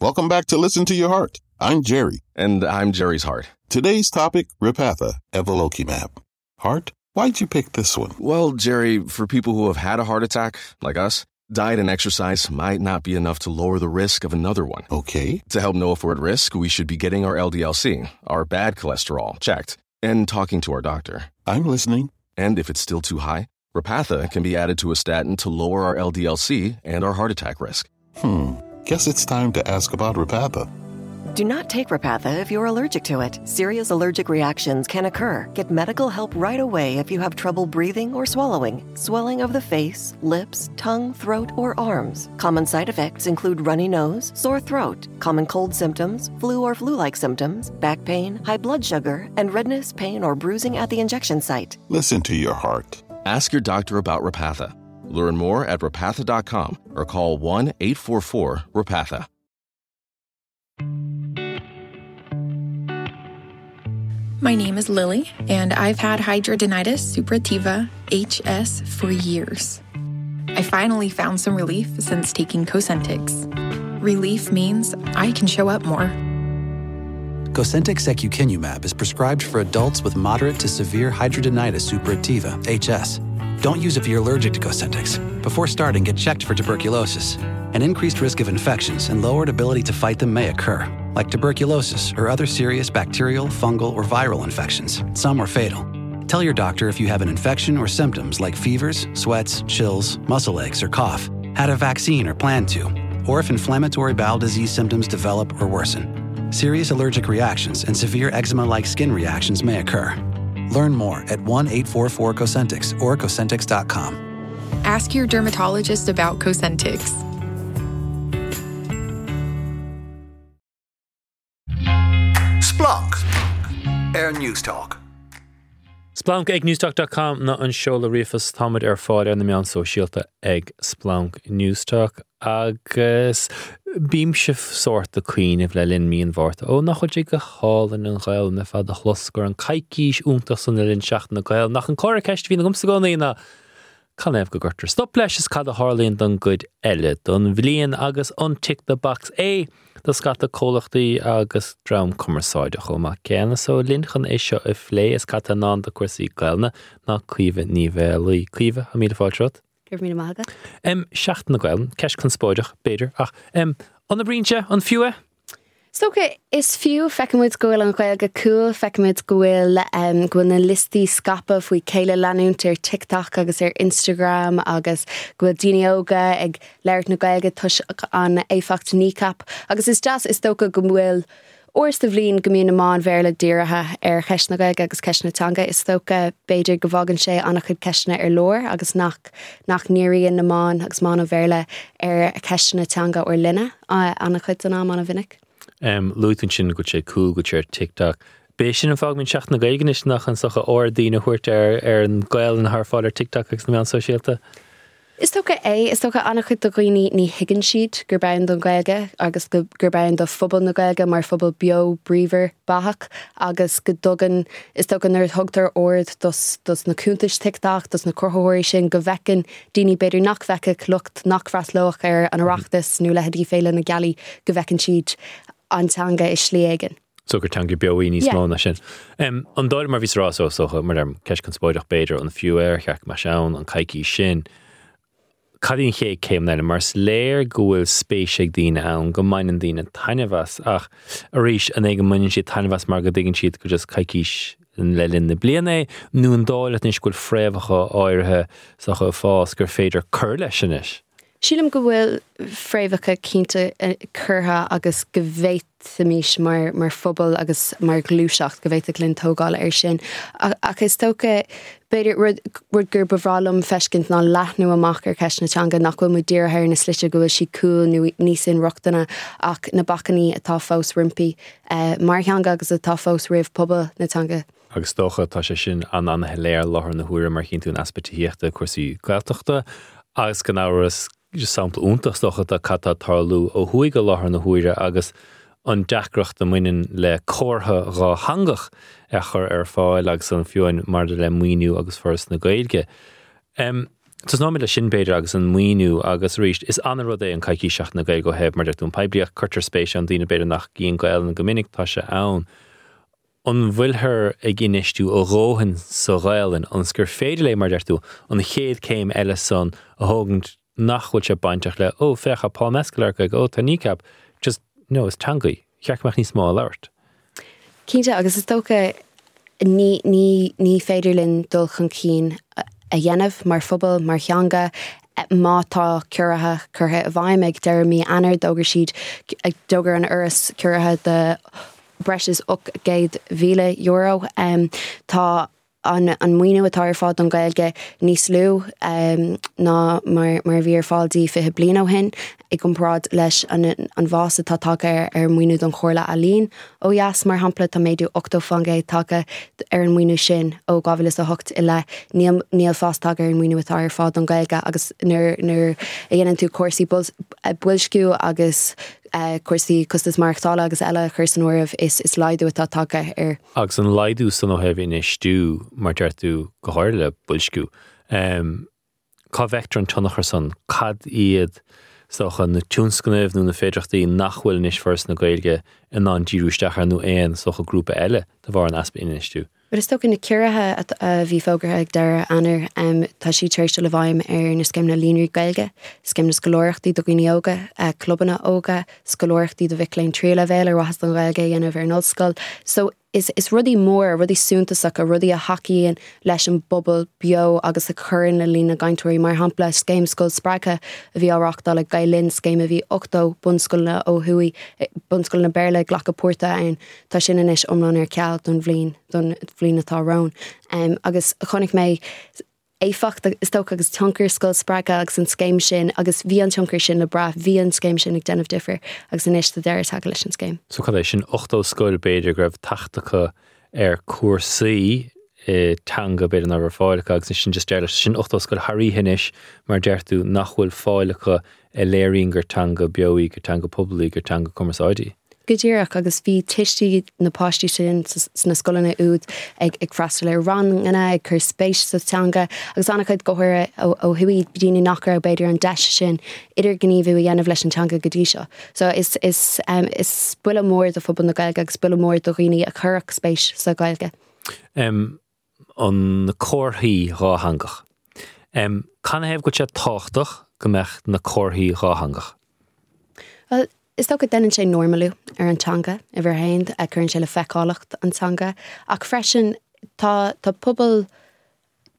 Welcome back to Listen to Your Heart. I'm Jerry. And I'm Jerry's heart. Today's topic Repatha, Evolocumab. Heart, why'd you pick this one? Well, Jerry, for people who have had a heart attack, like us, diet and exercise might not be enough to lower the risk of another one. Okay. To help know if we're at risk, we should be getting our LDLC, our bad cholesterol, checked, and talking to our doctor. I'm listening. And if it's still too high, Repatha can be added to a statin to lower our LDLC and our heart attack risk. Hmm. Guess it's time to ask about Repatha. Do not take Repatha if you're allergic to it. Serious allergic reactions can occur. Get medical help right away if you have trouble breathing or swallowing, swelling of the face, lips, tongue, throat, or arms. Common side effects include runny nose, sore throat, common cold symptoms, flu or flu like symptoms, back pain, high blood sugar, and redness, pain, or bruising at the injection site. Listen to your heart. Ask your doctor about Repatha. Learn more at repatha.com or call 1 844 Repatha. My name is Lily, and I've had hidradenitis suppurativa, HS, for years. I finally found some relief since taking Cosentyx. Relief means I can show up more. Cosentyx secukinumab is prescribed for adults with moderate to severe hidradenitis suppurativa, HS. Don't use if you're allergic to Cosentyx. Before starting, get checked for tuberculosis. An increased risk of infections and lowered ability to fight them may occur, like tuberculosis or other serious bacterial, fungal, or viral infections. Some are fatal. Tell your doctor if you have an infection or symptoms like fevers, sweats, chills, muscle aches, or cough, had a vaccine or plan to, or if inflammatory bowel disease symptoms develop or worsen. Serious allergic reactions and severe eczema like skin reactions may occur. Learn more at 1 844 Cosentyx or Cosentyx.com. Ask your dermatologist about Cosentyx. Splanc ar Newstalk. Splanc ag Newstalk dot com ná an seoladh ríomhphoist. Táimid ar fáil ar na meáin sóisialta ag Splanc Newstalk agus bímse sórt ag cuimhneamh le linn mí an Mhárta, ó nach bhfuil sé go hálainn an Ghaelainn ar fad a chlos go raibh an coicís iontach san le linn Seachtain na Gaelainne ach an comhartha ceist a bhíonn agamsa i gcónaí ná Canathaobh go gcuirtear stop leis is cad a tharlaíonn don gcuid eile don bhliain agus an tick the box é do scata comhlachtaí agus dream cumarsáide chomh maith céanna. So linn chun é seo a phlé is cad tá i ndán do cúrsaí Gaelainne ná Caoimhe Ní Mhaolaí. Caoimhe, tá míle fáilte romhat. Go raibh míle maith agat. Em, Seachtain na Gaelainne, ceist conspóideach, b'fhéidir, ach em, an oibríonn sé? An fiú é? Is dócha, is fiú, feicimid go bhfuil an Ghaeilge cool, feicimid go bhfuil go bhfuil na liostaí scaipthe faoi céile leanúint ar TikTok agus ar Instagram agus go bhfuil daoine óga ag labhairt na Gaeilge toisc an éifeacht Kneecap agus is deas is dócha go bhfuil uair sa bhliain go mbíonn na meáin Bhéarla dírithe ar cheist na Gaeilge agus ceist na teanga. Is dócha b'fhéidir go bhfágann sé an-chuid ceisteanna ar lár agus nach nach ndíríonn na meáin agus meáin an Bhéarla ar cheisteanna teanga ár linne. An-chuid den am, an-mhinic. Luaigh tú ansin go bhfuil sé cool, go bhfuil sé ar TikTok. B'é sin an fáth go mbíonn Seachtain na Gaeilge anois nach an socha aird daoine a thabhairt ar ar an Ghaelainn atá ar fáil ar TikTok agus na meáin sóisialta? Is dócha é. Is dócha an-chuid de dhaoine ní thuigeann siad gurb ann don Ghaeilge agus go gurb ann do phobal na Gaeilge mar phobal beo bríomhar beathach agus go dtugann, is dócha nuair a thugtar aird dos dos na cuntais TikTok, dos na cruthaitheoirí sin go bhfeiceann daoine b'fhéidir nach bhfeicfeadh, lucht nach bhfreastlódh ar an Oireachtas nó leithéidí Féile na Gealaí, go bhfeiceann siad an teanga i slí éigin. So gur teanga beo í níos mó ná sin. An dóigh, mar a bhíos a rá, so is dócha, mar deirim, ceist conspóideach b'fhéidir, an fiú é, ar cheart go mbeadh sé ann, an coicís sin. Cad í an chéad céim eile? Mar is léir go bhfuil spéis ag daoine ann, go mbaineann daoine taitneamh as, ach arís, an é go mbaineann siad taitneamh as mar go dtuigeann siad gur just coicís le linn na bliana é, nó an dóigh leat anois go bhfuil fréamhacha áirithe is dócha ag fás gur féidir cur leis anois? Sílim go bhfuil fréamhacha cinnte curtha agus go bhféadfaimis mar mar phobal agus mar ghluaiseacht, go bhféadfadh linn tógáil air sin. Ach is dócha, b'fhéidir, rud rud gur ba bhreá liom feiscint ná leathnú amach ar cheist na teanga, nach bhfuil muid dírithe ar na slite go bhfuil sí cool nó níos inrochtana ach na bacainní atá fós roimpi mar theanga agus atá fós roimh pobal na teanga. Agus is dócha, tá sé sin an-an-shoiléir i láthair na huaire mar chíonn tú an easpa tithíochta, cúrsaí Gaeltachta agus gan amhras, sampla iontach is dócha de cad tá ag tarlú ó thuaidh i láthair na huaire agus an deacracht a mbaineann le comhartha dhátheangach a chur ar fáil agus an fiú amháin maidir le maoiniú agus Foras na Gaeilge. Tosnóimid leis sin, b'fhéidir, agus an maoiniú agus arís, is an-rud é an coicís Seachtain na Gaeilge ó thaobh, mar deir tú, an poiblíocht, cuirtear spéis ann, daoine b'fhéidir nach gcíonn Gaelainn go minic, tá sé ann. An bhfuilthear ag infheistiú a dhóthain sa Ghaelainn ionas gur féidir léi, mar deir tú, an chéad céim eile san a thógaint nach bhfuil sé bainteach le, ó, féach, tá Paul Mescal ag Gaeilge, ó, tá Kneecap, just, no, is teanga í, cheart go mbeadh níos mó á labhairt. Cinnte, agus is dócha ní, ní, ní féidir linn dul chun cinn a dhéanamh mar phobal, mar theanga, má tá ciorruithe curtha i bhfeidhm. Ag deireadh mí Eanáir, d'fhógair siad, d'fhógair an Fhoras ciorruithe de breis is €800,000. Tá an maoiniú atá ar fáil don Ghaeilge níos lú ná mar a bhí ar fáil di 20 bliain ó shin i gcomparáid leis an bhfás atá tagtha ar an maoiniú don Chomhairle Ealaíon ó dheas, mar shampla, tá méadú 80% tagtha ar an maoiniú sin ó 2008 i leith. Níl níl fás tagtha ar an maoiniú atá ar fáil don Ghaeilge agus nuair nuair a dhéanann tú cúrsaí boilsciú agus cúrsaí costas maireachtála agus eile a chur san áireamh, is laghdú atá tagtha air. Agus an laghdú san ó thaobh infheistiú, mar deir tú, go háirithe le boilsciú, cá bhfeictear an tionchar san? Cad iad, is dócha, na tionscnaimh nó na féidearthachtaí nach bhfuil anois Foras na Gaeilge in ann díriú isteach air nó aon, is dócha, grúpa eile de bharr an easpa infheistiú? Bhuel, is dócha na ciorruithe a bhí fógartha ag deireadh Eanáir, tá siad tar éis dul i bhfeidhm ar na scéimeanna líonraí Gaeilge, scéim na scoláireachtaí do dhaoine óga, clubanna óga, scoláireachtaí do mhic léinn tríú leibhéal ar mhaithe an Ghaeilge a dhéanamh ar an ollscoil. So, is is rudaí móra, rudaí suntasacha, rudaí a thacaíonn leis an bpobal beo agus a chuireann le líon na gcainteoirí. Mar shampla, scéim Scoil Spreagtha a bhí á reáchtáil ag Gael Linn, scéim a bhí 80 bunscoileanna ó thuaidh, bunscoileanna Béarla ag glacadh páirte ann, tá sin anois iomlán ar ceal don bhliain, don bhliain atá romhainn. Agus chonaic mé éifeacht, is dócha, agus tionchar Scoil Spreagtha agus an scéim sin agus bhí an tionchar sin le brath, bhí an scéim sin ag déanamh difir agus anois tá deireadh tagtha leis an scéim. So cad é sin, 80 scoil b'fhéidir go raibh teacht acu ar cúrsaí teanga b'fhéidir nach raibh fáil acu agus sin just deireadh leis. Sin 80 scoil thar oíche anois mar deir tú nach bhfuil fáil acu a léiríonn gur teanga beo í, gur teanga pobail í, gur teanga cumarsáide í. Go díreach, agus bhí tuistí na páistí sin sna scoileanna úd ag freastal ar ranganna, ag cur spéis sa teanga, agus an-chuid go háirithe ó thuaidh, daoine nach raibh b'fhéidir an deis sin idirghníomhú a dhéanamh leis an teanga go dtí seo. So is is is buille mór do phobal na Gaeilge agus buille mór do dhaoine a chuirfeadh spéis sa Ghaeilge. an na comharthaí dhátheangach. Canathaobh go bhfuil sé tábhachtach go mbeadh na comharthaí dhátheangach? Bhuel, is dócha déanann sé normalú ar an teanga, uimhir a haon, cuireann sé le feiceálacht an teanga, ach freisin tá tá pobal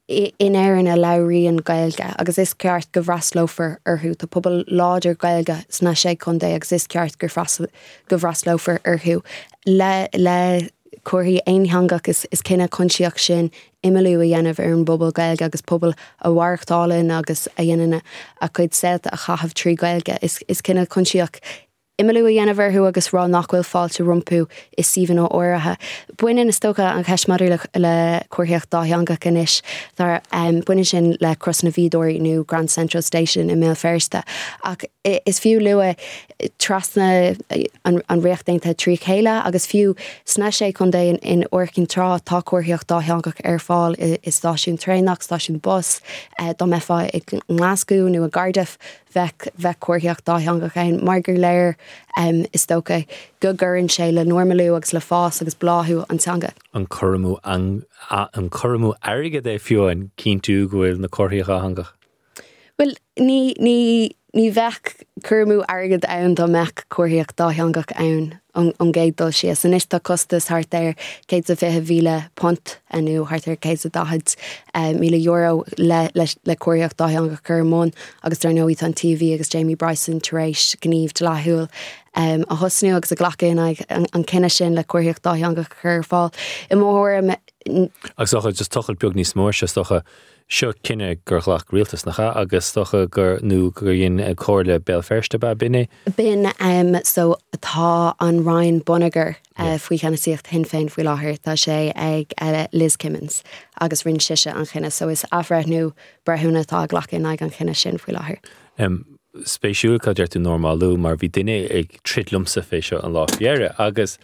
in Éirinn a labhraíonn Gaeilge agus is ceart go bhfreastlófar orthu. Tá pobal láidir Gaeilge sna Sé Chontae agus is ceart gur go bhfreastlófar orthu le le comharthaí aonteangach is cinneadh coinsiasach sin imeallú a dhéanamh ar an bpobal Gaeilge agus pobal a mhaireachtálann agus a dhéanann a cuid saolta a chaitheamh trí Ghaeilge. Is cinneadh coinsiasach imeallú a dhéanamh orthu agus rá nach bhfuil fáilte rompu i suíomhanna áirithe. Baineann, is dócha, an cheist maidir le comharthaíocht dátheangach anois, baineann sin le Crois na bhFíodóirí nó Grand Central Station i mBéal Feirste ach is fiú lua trasna an Ríocht Aontaithe trí chéile agus fiú sna Sé Chontae in Iúr Cinn Trá tá comharthaíocht dátheangach ar fáil i stáisiún traenach, stáisiún bus, dá mbeifeá i nGlaschú nó i gCardiff bheadh bheadh comharthaíocht dátheangach ann mar gur léir is dócha go gcuireann sé le normalú agus le fás agus bláthú an teanga. An cur amú an cur amú airgid é fiú amháin cinntiú go bhfuil na comharthaí dhátheangach? Bhuel, ní, ní, ní bheadh cur amú airgid ann dá mbeadh comharthaíocht dátheangach ann ón gcéad dul síos. Anois tá costas thart ar £120,000 nó thart ar €140,000 le, le, le comharthaíocht dátheangach a chur i mbun agus dar ndóigh tá an TUV agus Jamie Bryson tar éis gníomh dlíthiúil a thosnú agus a ghlacadh in aghaidh an cinneadh sin le comharthaíocht dátheangach a chur ar fáil. I mo thuairim, Agus is dócha, just tochailt beag níos mó air seo, is dócha, Seo cinneadh gur ghlac rialtas, nach ea? Agus is dócha gur, nó gur dhein Comhairle Béal Feirste, ab ea? B'in é? B'in. So tá an Roinn Bonneagair faoi cheannasaíocht Shinn Féin faoi láthair. Tá sé ag Liz Kimmins agus rinne sise an chinneadh. So is athbhreithniú breithiúna atá á ghlacadh in aghaidh an chinnidh sin faoi láthair. Spéisiúil cad deir tú normalú mar bhí duine ag troid liomsa fé seo an lá faoi dheireadh agus.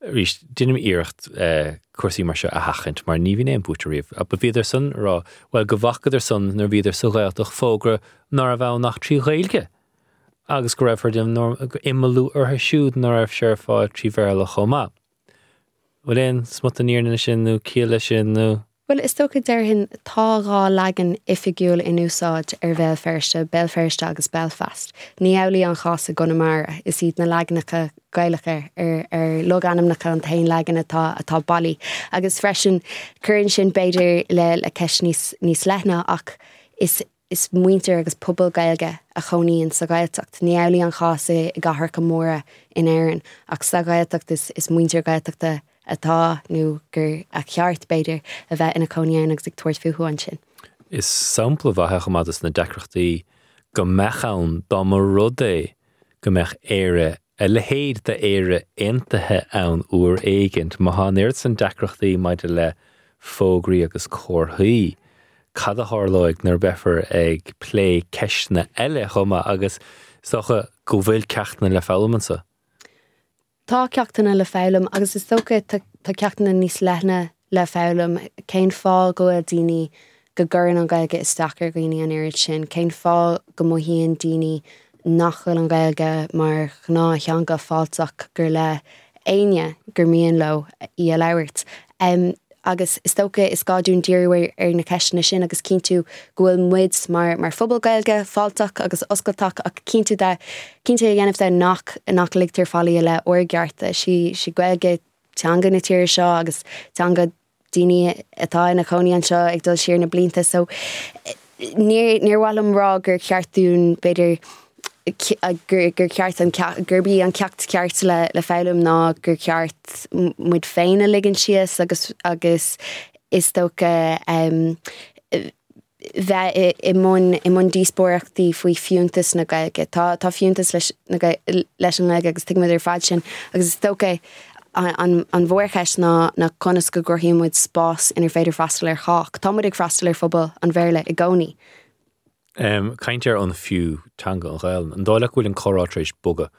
Arís, déanaim iarracht cúrsaí mar seo a sheachaint mar ní bhíonn aon buaiteoir riamh. But bhíodar san ag rá, bhuel, go bhfacadar san nuair a bhíodar sa Ghaeltacht fógra ná raibh ann ach trí Ghaeilge agus go raibh imeallú orthu siúd ná raibh sé ar fáil trí Bhéarla chomh maith. Bhfuil aon smut den fhírinne leis sin nó ciall leis sin nó? Bhuel, is dócha, déarfainn, tá 2 leagan oifigiúil in úsáid ar Bhéal Feirste, Béal Feirste agus Belfast. Ní amhlaidh an chás i gConamara. Is iad na leaganacha Gaelacha ar ar logainmneacha an t-aon leagan atá atá bailí. Agus freisin, cuireann sin b'fhéidir le le ceist níos níos leithne ach is is muintir agus pobal Gaeilge a chónaíonn sa Ghaeltacht. Ní amhlaidh an chás i gcathracha móra in Éirinn ach sa Ghaeltacht is is muintir Gaeltachta atá, nó gur a cheart, b'fhéidir, a bheith ina cónaí ann agus ag tabhairt fúthu ansin. Is sampla mhaith é chomh maith dos na deacrachtaí go mbeadh ann dá mba rud é go mbeadh Éire, a leithéid d'Éire aontaithe ann uair éigint. Má tá an oiread san deacrachtaí maidir le fógraí agus comharthaí, cad a tharlóidh nuair a beifear ag plé ceisteanna eile chomh maith agus is dócha go bhfuil ceachtanna le foghlaim anso. Tá ceachtanna le foghlaim agus is dócha tá ceachtanna níos leithne le foghlaim. Cén fáth go bhfuil daoine, go gcuireann an Ghaeilge isteach ar dhaoine an oiread sin? Cén fáth go mothaíonn daoine nach bhfuil an Ghaeilge mar ghnáth-theanga fáilteach gur le éinne gur mian leo í a labhairt? Agus is dócha is gá dúinn díriú ar na ceisteanna sin agus cinntiú go bhfuil muid mar mar phobal Gaeilge fáilteach agus oscailteach ach cinntiú de, cinnte a dhéanamh de nach nach ligtear faillí i leith ár gcearta. Is í Gaeilge teanga na tíre seo agus teanga daoine atá ina chónaí anseo ag dul siar na blianta so níor níor mhaith liom rá gur cheart dúinn b'fhéidir gur gur cheart an gurb í an ceacht ceart le le foghlaim ná gur cheart muid féin a ligean síos agus agus is dócha bheith i i mbun i mbun díospóireachtaí faoi fiúntas na Gaeilge. Tá tá fiúntas leis na leis an nGaeilge agus tuigimid ar fad sin agus is dócha an an an mhórcheist ná ná conas go gcruthaíonn muid spás inar féidir freastal ar chách. Tá muid ag freastal ar phobal an Bhéarla i gcónaí. Caint ar an fiú teanga an Ghaelainn. An dóigh leat go bhfuil an comhrá tar éis bogadh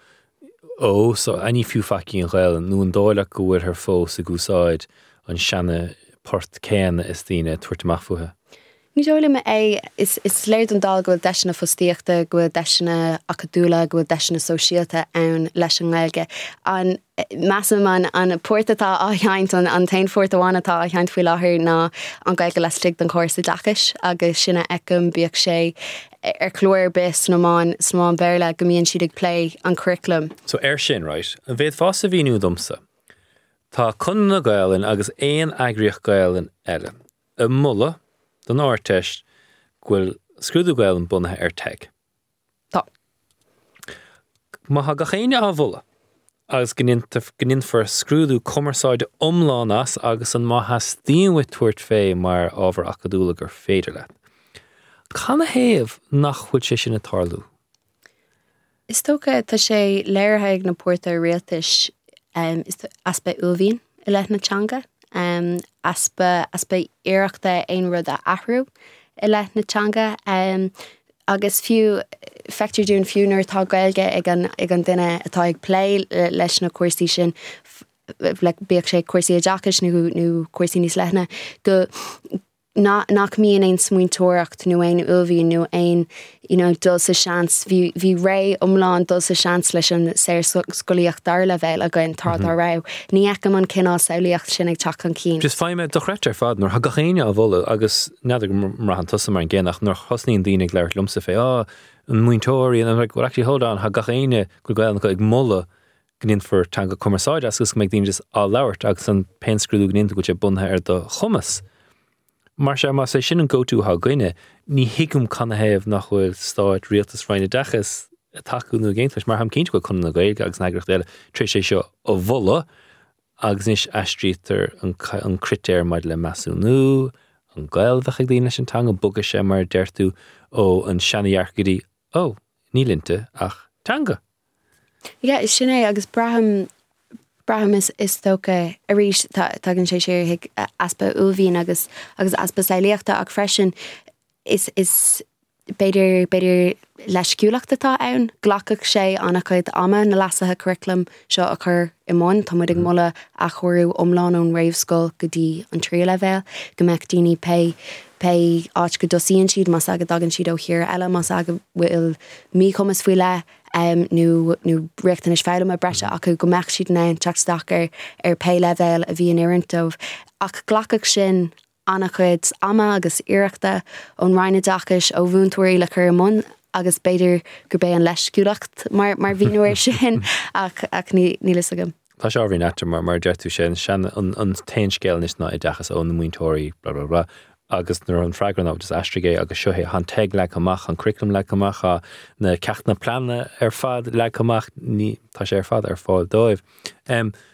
ó so ní fiú faic í an Ghaelainn nó an dóigh leat go bhfuilthear fós ag úsáid an seana port céanna is daoine ag tabhairt amach fúithi? Ní dóigh liom é. Is is léir don dall go bhfuil deiseanna fostaíochta, go bhfuil deiseanna acadúla, go bhfuil deiseanna sóisialta ann leis an nGaeilge. An Measaim an an port atá á sheinnt, an an t-aon phort amháin atá á sheinnt faoi láthair ná an Ghaeilge laistigh den chóras oideachais agus sin a fheicim, bíodh sé ar chlár ar bith sna meáin, sna meáin Bhéarla, go mbíonn siad ag plé an curaclam. So ar sin, right, an bhféadfása mhíniú domsa, tá Conradh na Gaelainne agus aon eagraíocht Gaelainne eile ag moladh don Ardteist go bhfuil scrúdú Gaelainne bunaithe ar TEG. Tá. Má tá gach éinne á mholadh agus go ndéanfar scrúdú cumarsáide iomlán as agus an má theastaíonn uait tabhairt fé mar ábhar acadúla gur féidir leat. Canathaobh nach bhfuil sé sin ag tarlú? Is dócha, tá sé léirithe ag na páirtithe rialtais, easpa uaillmhian i leith na teanga, easpa, easpa iarrachta aon rud a athrú i leith na teanga. Agus fiú, feictear dúinn fiú nuair atá Gaeilge ag an, ag an duine atá ag plé leis na cúrsaí sin, bíodh sé cúrsaí oideachais nó, nó cúrsaí níos leithne, go, nach mbíonn aon smaointeoireacht nó aon uaillmhian nó aon, you know, dul sa seans. Bhí, bhí ré iomlán dul sa seans leis an saorscolaíocht dara leibhéal againn tráth dá raibh. Ní fheicim an cineál samhlaíocht sin ag teacht chun cinn. Just faighim é dochreidte ar fad nuair atá gach éinne á mholadh agus n'fheadar go mbraitheann tusa mar an gcéanna ach nuair a thosnaíonn daoine ag labhairt liomsa fé ah an múinteoirí and I'm like well actually hold on tá gach éinne go bhfuil Gaelainn acu ag moladh go ndéanfar teanga cumarsáide as agus go mbeidh daoine just á labhairt agus an pé scrúdú go ndéantar go bhfuil sé bunaithe ar do chumas. Mar sea más é sin an go-to atá againne ní thuigim canathaobh nach bhfuil stát, rialtas, Roinn Oideachais ag tacú nó ag aontú leis mar táim cinnte go bhfuil Conradh na Gaeilge agus na heagraíochtaí eile tar éis é seo a mholadh agus anois aistrítear an critéar maidir le measúnú, an gaol a bheadh ag daoine leis an teanga, bogfaidh sé mar a deir tú ó an seanadhearcadh go dtí ó, níl inti ach teanga. Yeah, sin é agus braithim, braithim is, is dócha arís tagann sé siar chuig easpa uaillmhian agus, agus easpa samhlaíochta ach freisin is, is. B'fhéidir, b'fhéidir leisciúlacht atá ann. Glacfaidh sé an-chuid ama na leasuithe curaclaim seo a chur i mbun. Tá muid ag moladh athchóiriú iomlán ón réamhscoil go dtí an tríú leibhéal, go mbeadh daoine pé pé áit go dtosaíonn siad, más ea go dtagann siad ó thír eile, más ea go bhfuil míchumas faoi leith nó nó riachtanais foghlama breise acu, go mbeadh siad in ann teacht isteach ar ar pé leibhéal a bhí in oiriúint dóibh. Ach glacfaidh sin an-chuid ama agus iarrachta ón Roinn Oideachais, ó mhúinteoirí le cur i mbun agus b'fhéidir gurb é an leisciúlacht mar mar mhíniú air sin ach ach ní níl fhios agam. Tá sé ábhairín ait mar mar a deir tú sé an sean an an t-aon scéal anois ná oideachas ó na múinteoirí blah blah blah agus nuair an freagra ná just aistrigh é agus seo é tá an TEG leagtha amach an curriculum leagtha amach tá na ceachtanna pleanála ar fad leagtha amach ní tá sé ar fad ar fáil dóibh.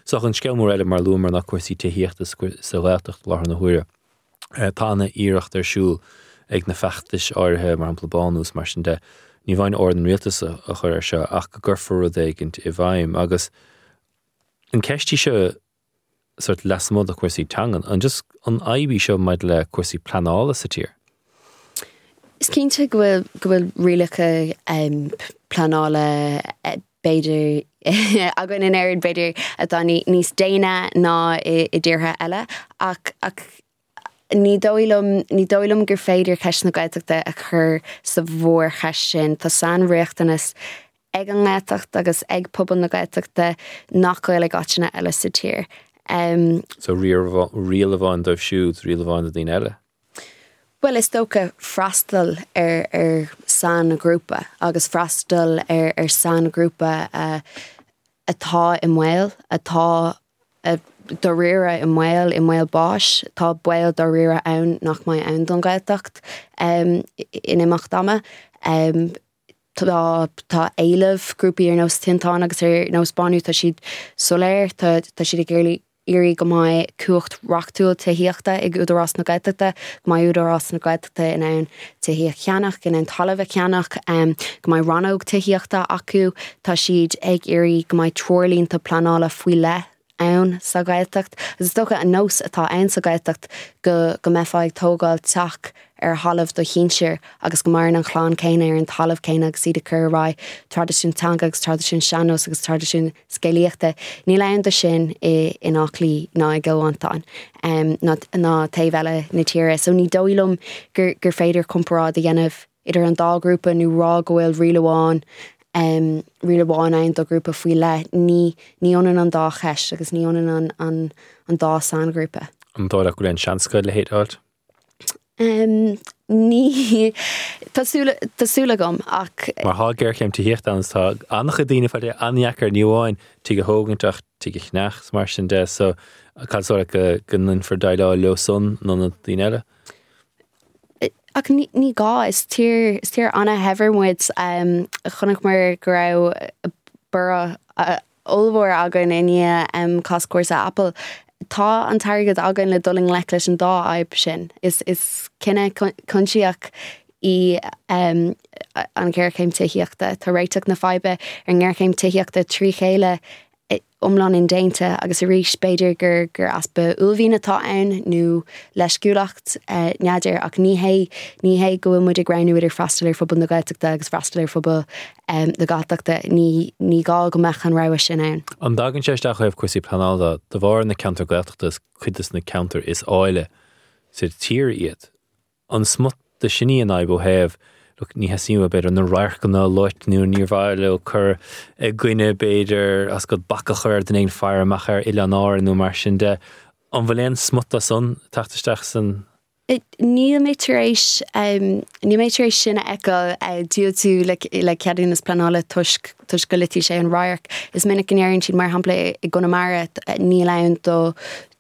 So an scéal mór eile mar a luamar ná cúrsaí tithíochta sa Ghaeltacht i láthair na huaire. Tá ana iarracht ar siúl ag na feachtais áirithe, mar shampla Bánú is mar sin de, ní amháin aird an rialtais a chur air seo ach go gcuirfear rud éigint i bhfeidhm. Agus an ceist í seo sort lasmuigh de chúrsaí teangan, an just an fhadhb í seo maidir le cúrsaí pleanála sa tír? Is cinnte go bhfuil go bhfuil rialacha pleanála b'fhéidir againn in Éirinn b'fhéidir atá níos déine ná i dtíortha eile ach ach ní dóigh liom ní dóigh liom gur féidir ceist na Gaeltachta a chur sa mhórcheist sin. Tá sainriachtanas ag an nGaeltacht agus ag pobal na Gaeltachta nach bhfuil ag áiteanna eile sa tír. So riail amháin dóibh siúd, riail amháin do daoine eile? Bhuel, is dócha freastal ar ar sainghrúpa agus freastal ar ar sainghrúpa atá i mbaol, atá dáiríre i mbaol, i mbaol báis. Tá baol dáiríre ann nach mbeidh ann don Ghaeltacht in imeacht ama. Tá tá éileamh grúpaí ar nós Tinteán agus ar nós Bánú, tá siad soiléir, tá tá siad ag iarraidh iarraidh go mbeidh cumhacht reachtúil tithíochta ag Údarás na Gaeltachta, go mbeidh Údarás na Gaeltachta in ann tithe a cheannach, in ann talamh a cheannach, go mbeidh rannóg tithíochta acu. Tá siad ag iarraidh go mbeidh treoirlínte pleanála faoi leith ann sa Ghaeltacht. Agus is dócha an nós atá ann sa Ghaeltacht go go mbeifeá ag tógáil teach ar thalamh do shinsir agus go maireann an chlann céanna ar an talamh céanna agus iad ag cur ar aghaidh traidisiún teanga agus traidisiún sean-nós agus traidisiún scéalaíochta. Níl ann do sin i in Áth Cliath ná i gCill Mhantáin ná ná taobh eile na tíre. So ní dóigh liom gur gur féidir comparáid a dhéanamh idir an dá ghrúpa nó rá go bhfuil riail amháin riail amháin ann do ghrúpa faoi leith. Ní ní ionann an dá cheist agus ní ionann an an an dá sainghrúpa. An dóigh leat go bhfuil aon seans acu a leithéid a fháilt? Ní tá súil tá súil agam ach. Mar tá géarchéim tithíochta ann is tá an-chuid daoine ag fáil an-dheacair ní amháin tigh a thógaint ach tigh a cheannach is mar sin de so cad is dóigh leat go go ndéanfar déileáil leo san in ionad daoine eile? Ach ní gá, is tír, is tír an-shaibhir muid. Chonaiceamar go raibh borradh ollmhór againn i ndiaidh cás cúrsa Apple. Tá an t-airgead againn le dul i ngleic leis an dá fhadhb sin. Is is cinneadh coinsiasach í an ghéarchéim tithíochta. Tá réiteach na faidhbe ar an ngéarchéim tithíochta trí chéile iomlán indéanta agus arís b'fhéidir gur gur easpa uaillmhian atá ann nó leisciúlacht, n'fheadar, ach ní hé ní hé go bhfuil muid ag roghnú idir freastal ar phobal na Gaeltachta agus freastal ar phobal na Galltachta, ní ní gá go mbeadh an rogha sin ann. An dtagann sé isteach ó thaobh cúrsaí pleanála de bharr na ceantair Gaeltachta is cuid de na ceantair is áille sa tír iad? An smut de sin í an fhadhb ó thaobh, look, ní theastaíonn uathu, b'fhéidir, na radharcanna a loit nó níor mhaith leo cur i gcoinne, b'fhéidir, as go bac a chur ar duine éigin faire amach ar Oileáin Árann nó mar sin de. An bhfuil aon smut de san ag teacht isteach san? Níl mé tar éis, níl mé tar éis sin a fheiceáil, diúltú le le ceadúnas pleanála toisc toisc go loitfidh sé an radharc. Is minic go ndeireann siad, mar shampla i gConamara, níl ann do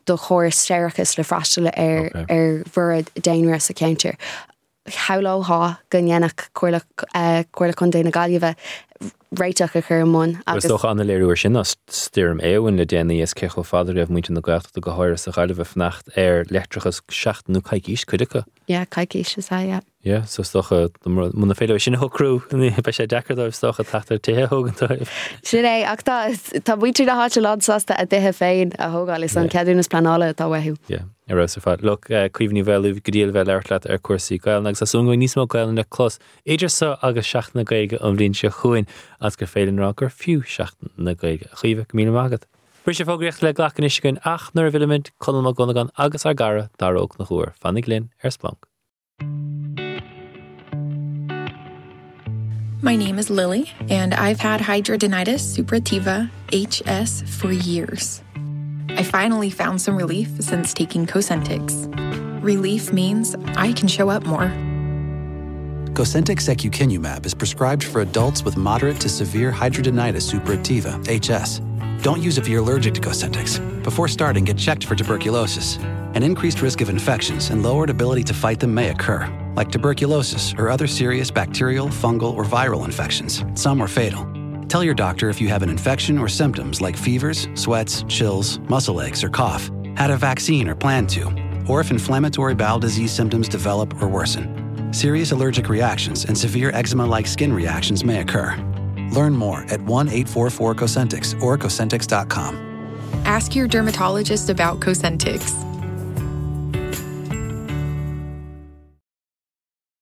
do chóras séarachais le freastal ar ar bhorradh daonra sa cheantar. Shamhlófá go ndéanfadh Comhairle Comhairle Contae na Gaillimhe réiteach a chur i mbun agus. Is dócha an-léiriú air sin ná Stoirm Éowyn le déanaí is cé chomh fada a raibh muintir na Gaeltachta, go háirithe sa Ghaillimh, ag fanacht ar leictreachas, seachtain nó coicís, cuid acu. Yeah, coicís is ea, yeah. Yeah, so is dócha, muna féidir leo sin a shocrú, beidh sé deacair dóibh, is dócha, teacht ar tithe a thógaint dóibh. Sin é, ach tá, tá muintir na háite lán sásta a dtithe féin a thógáil, is an ceadúnas pleanála atá uathu. Yeah. Ar fheabhas ar fad. Look, Caoimhe Ní Mhaolú, go diail a bheith ag labhairt leat ar cúrsaí Gaelainne agus tá súil agam go mbeidh níos mó Gaelainne le clos idir seo agus Seachtain na Gaeilge an bhliain seo chugainn agus gur féidir linn a rá gur fiú Seachtain na Gaeilge. A Chaoimhe, go míle maith agat. Briseadh fógraíochta le glacadh anois againn ach nuair a bhfillimid, Conall Mac Dhonnagáin agus ár gcara, Dara Ó Conchúir. Fanaigí linn ar Splanc. My name is Lily, and I've had hidradenitis suppurativa HS for years. I finally found some relief since taking Cosentix. Relief means I can show up more. Cosentyx secukinumab is prescribed for adults with moderate to severe hidradenitis suppurativa, HS. Don't use if you're allergic to Cosentyx. Before starting, get checked for tuberculosis. An increased risk of infections and lowered ability to fight them may occur, like tuberculosis or other serious bacterial, fungal, or viral infections. Some are fatal. Tell your doctor if you have an infection or symptoms like fevers, sweats, chills, muscle aches, or cough, had a vaccine or plan to, or if inflammatory bowel disease symptoms develop or worsen. Serious allergic reactions and severe eczema like skin reactions may occur. Learn more at 1 844 Cosentix or Cosentix.com. Ask your dermatologist about Cosentix.